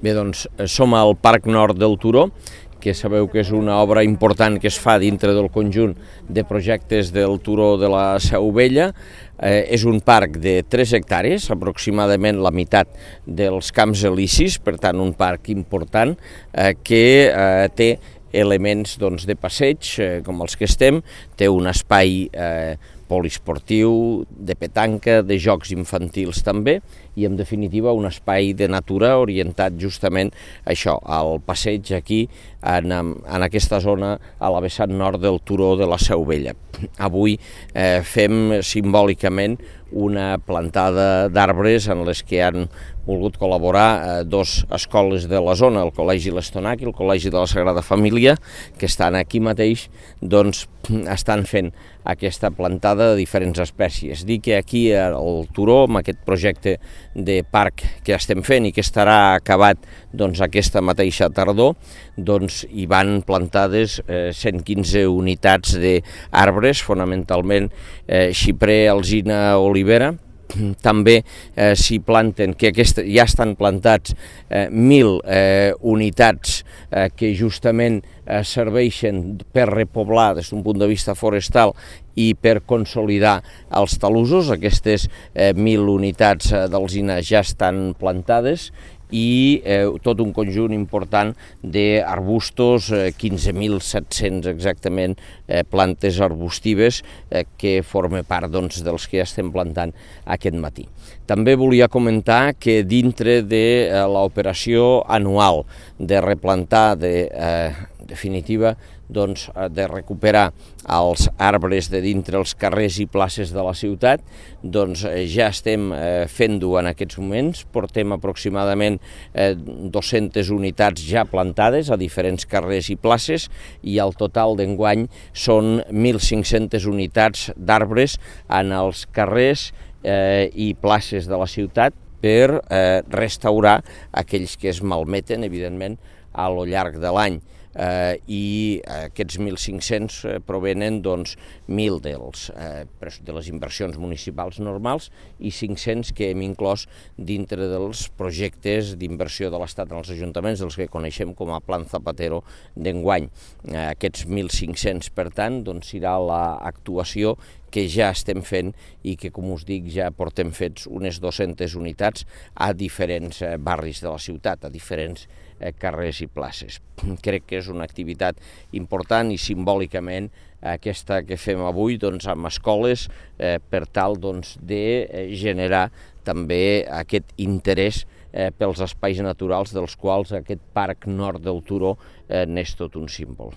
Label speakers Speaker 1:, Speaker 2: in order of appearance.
Speaker 1: Bé, doncs som al Parc Nord del Turó, que sabeu que és una obra important que es fa dintre del conjunt de projectes del Turó de la Seu Vella. És un parc de 3 hectàrees, aproximadament la meitat dels Camps Elisis, per tant un parc important que té elements de passeig, com els que estem, té un espai poliesportiu, de petanca, de jocs infantils també, i en definitiva un espai de natura orientat justament a això, al passeig aquí, en aquesta zona, a la vessant nord del Turó de la Seu Vella. Avui fem simbòlicament una plantada d'arbres en les que han volgut col·laborar 2 escoles de la zona, el Col·legi l'Estonac i el Col·legi de la Sagrada Família, que estan aquí mateix, doncs estan fent aquesta plantada de diferents espècies. Dic que aquí al Turó, amb aquest projecte de parc que estem fent i que estarà acabat aquesta mateixa tardor, doncs hi van plantades 115 unitats d'arbres, fonamentalment xiprer, alzina, olivera. També s'hi planten, que ja estan plantats 1.000 unitats que justament serveixen per repoblar des d'un punt de vista forestal i per consolidar els talussos. Aquestes 1.000 unitats d'alzina ja estan plantades i tot un conjunt important d'arbustos, 15.700 exactament plantes arbustives que formen part dels que estem plantant aquest matí. També volia comentar que dintre de l'operació anual de replantar, definitiva, de recuperar els arbres de dintre els carrers i places de la ciutat, ja estem fent-ho en aquests moments. Portem aproximadament 200 unitats ja plantades a diferents carrers i places i el total d'enguany són 1.500 unitats d'arbres en els carrers i places de la ciutat per restaurar aquells que es malmeten, evidentment, a lo llarg de l'any. I aquests 1.500 provenen 1.000 de les inversions municipals normals i 500 que hem inclòs dintre dels projectes d'inversió de l'Estat en els ajuntaments, dels que coneixem com a Plan Zapatero d'enguany. Aquests 1.500, per tant, serà l'actuació que ja estem fent i que, com us dic, ja portem fets unes 200 unitats a diferents barris de la ciutat, a diferents carrers i places. Crec que és una activitat important i simbòlicament aquesta que fem avui amb escoles per tal de generar també aquest interès pels espais naturals dels quals aquest Parc Nord del Turó n'és tot un símbol.